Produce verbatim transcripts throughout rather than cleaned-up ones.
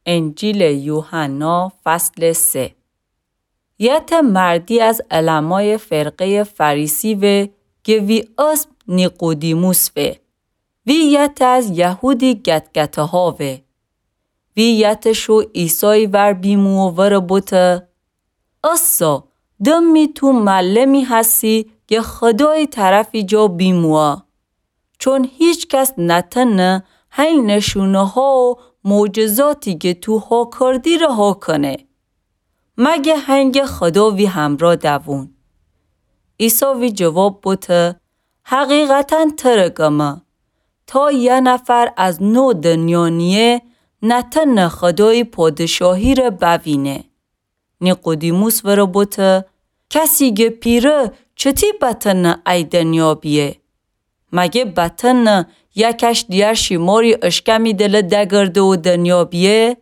انجیلٚ یوحنا، فصلٚ سه. یتأ مردی از علمایٚ فرقه‌یٚ فریسی وه، گه وی اسم نیقودیموس وه. وی یتأ از یهودی گتگته‌ها وه. وی یتأ شو عیسایی ور بیمو و ورٚ بوته: اسا، دمی تو معلمی هسی گه خودایی طرفی جا بیموه. چون هیچ کس نتنه هی نشونه‌ها و معجزاتی گه تو ها کردی ره ها کنه، مگه هنگه خودا وی همرا دوون. عیسی وی جواب بوته: حقیقتاً تره گمه، تا یه نفر از نو دنیا نییه، نتنه خودایی پادشاهی ره بوینه. نیقودیموس وره بوته: کسی گه پیره چتی بتنه ای دنیا بیه؟ مگه بتنه یکش دیگر شیماری اشکمی دله دگرده و دنیا بیه؟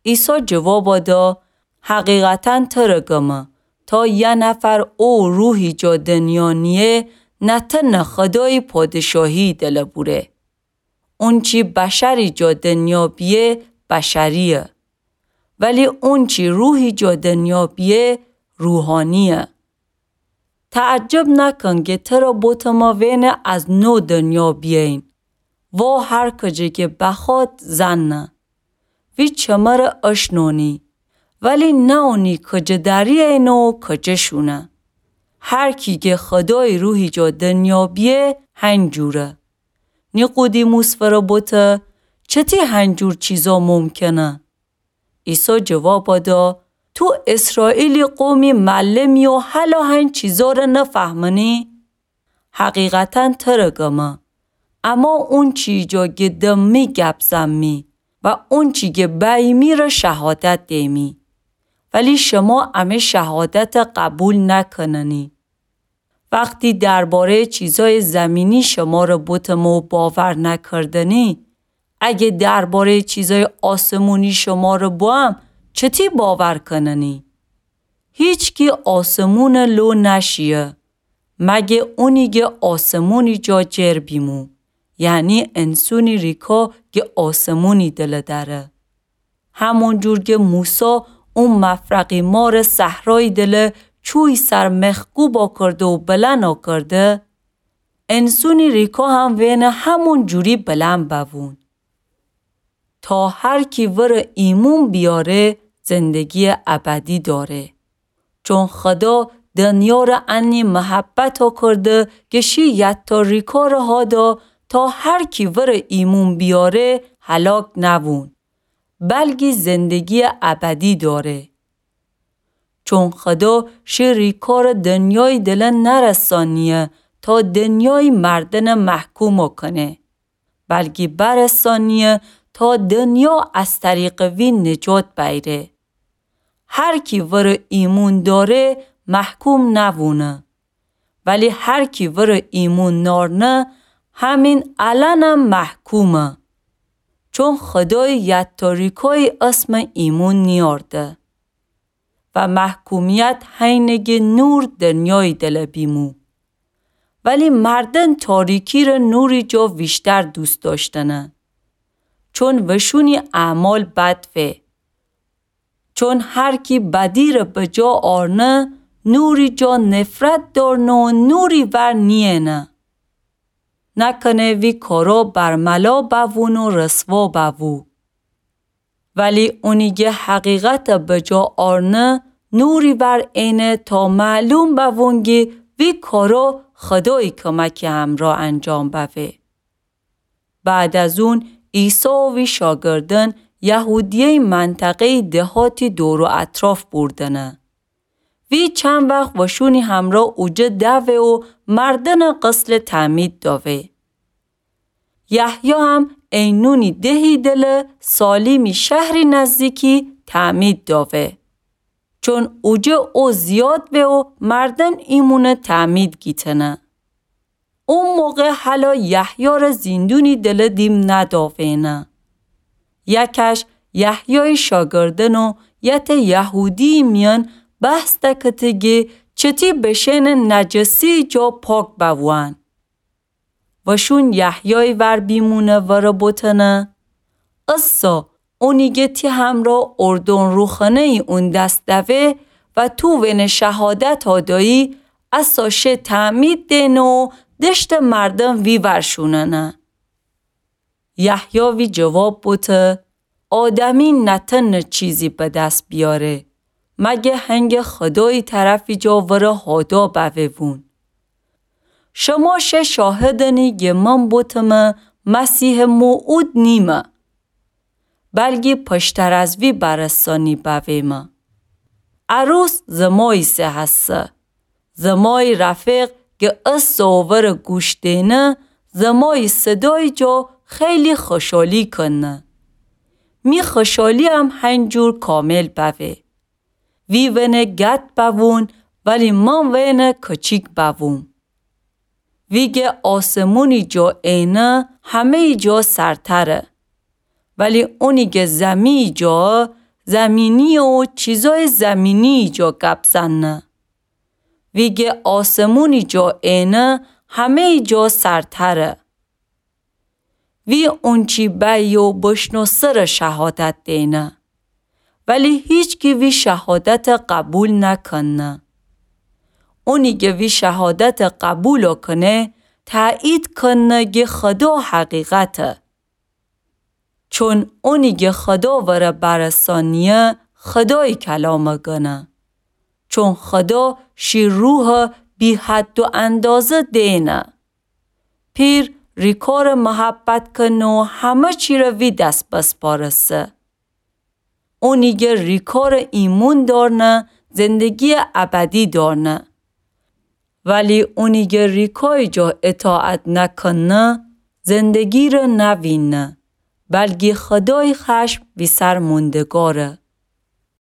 عیسی جوابا دا: حقیقتاً تره گمه، تا یه نفر او روحی جا دنیا نییه، نتنه خودایی پادشاهی دله بوره. اونچی بشری جا دنیا بیه، بشریه. ولی اونچی روحی جا دنیا بیه، روحانیه. تعجب نکن گه تره بوتمه وئنه از نو دنیا بیئین. وا هر کجه گه بخواد زنه. وی چمره اشنونی، ولی ناونی کجه دریئینه و کجه شونه. هر کی گه خودای روحی جا دنیا بیه، هنجوره. نیقودیموس وره بوته: چتی هنجور چیزا ممکنه؟ عیسی جوابا دا: تو اسرائیلی قومی معلمی و هلا هن چیزا ره نفهمنی؟ حقیقتاً تره گمه، اما اونچی جا گه دمی گپ زنمی و اونچی گه بأیمی ره شهادت دیمی، ولی شما امه شهادت قبول نکننی. وقتی درباره‌یٚ چیزای زمینی شمره بوتمه و باور نکردنی، اگه درباره‌یٚ چیزای آسمونی شمره بوم، چتی باور کننی؟ هیچکی آسمون لو نشیه، مگه اونی گه آسمونی جا جر بیمو، یعنی انسونی ریکا گه آسمونی دله دأره. همون جور گه موسی او مفرقی مار صحرایی دله چوی سر مخکوبا کرده و بلندا کرده، انسونی ریکا هم وئنه همون جوری بلن بوون. تا هر کی وره ایمون بیاره، زندگی ابدی داره. چون خدا دنیا ره انی محبتا کرده گه شی یتاریکا ره هادا تا هر کی وره ایمون بیاره هلاک نوون، بلکی زندگی ابدی داره. چون خدا شی ریکار دنیای دله نرسانیه تا دنیای مردن محکوم کنه، بلکی برسانیه تا دنیا از طریق وی نجات بیره. هر کی وره ایمون داره محکوم نوونه، ولی هر کی وره ایمون نارنه همین الانم محکومه. چون خدای یتاریکای اسم ایمون نیارده. و محکومیت هینه گه نور دنیای دله بیمو. ولی مردن تاریکی ره نوری جا ویشتر دوست داشتنه. چون وشونی اعمال بد وه. چون هر کی بدی ره بجا آرنه، نوری جا نفرت دارنه و نوری ور نیینه. نکنه وی کارا برملا بوون و رسوا بوو. ولی اونی گه حقیقت بجا آرنه، نوری ور اینه تا معلوم بوون گه وی کارا خدای کمکی همرا انجام بوه. بعد از اون عیسی و وی شاگردن یهودیه‌ی منطقه‌ی دهاتی دور و اطراف بوردنه. وی چند وخت وشونی همرا اوجه دوه و مردن غسل تعمید داوه. یحیی هم عینونی دهی دله سالیمی شهری نزدیکی تعمید داوه. چون اوجه او زیاد وه و مردن ایمون تعمید گیتنه. او موقع هلا یحیی ره زیندونی دله دیم نداوینه. یکش یحیی شاگردن و یتأ یهودی میان بحث دکته گه چتی بشینه نجسی جا پاک بووان. وشون یحیی ور بیمونه وره بوتنه: اسا اونی گه تی همرأ اردن روخنه‌یی اون دس دوه و تو وینه شهادتا دأیی، اسا شه تعمید دئنه و دشتٚ مردم ویور شوننه. یحیی وی جواب بوته، آدمی نتأنه چیزی به دس بیاره، مگه هنگه خودایی طرفی جا وره هادا بوه وون. شما شه شاهدنی گه من بوتمه مسیحٚ موعود نیمه، بلگی پشتر از وی برسانی بویمه. عروس زمایی سه هسه. زمایی رفیق گه اسه و وره گوش دئنه، زمایی صدایی جا خیلی خوشحالی کنه. می خوشحالییم هنجور کامل بوه. وی وینه گد بوون، ولی من وینه کچیک بووم. وی گه آسمونی جا اینه همه‌یی جا سرتره. ولی اونی گه زمینی جا، زمینی و چیزای زمینی جا گب زنه. وی گه آسمونی جا اینه همه‌یی جا سرتره. وی اونچی بأیی و بشنوسه ره شهادت دئنه. ولی هیچکی وی شهادت قبول نکنه. اونی گه وی شهادت قبول کنه، تأیید کنه گه خدا حقیقته. چون اونی گه خدا وره برسانیه، خدایی کلام گنه. چون خدا شی روح بی‌حد و اندازه دئنه. پیر ریکار محبت کنه و همه چی ره وی دس بسپارسه. اونی گه ریکار ایمون دارنه، زندگی ابدی دارنه. ولی اونی گه ریکای جا اطاعت نکنه، زندگی ره نوینه، بلگی خدای خشم وی سر موندگاره.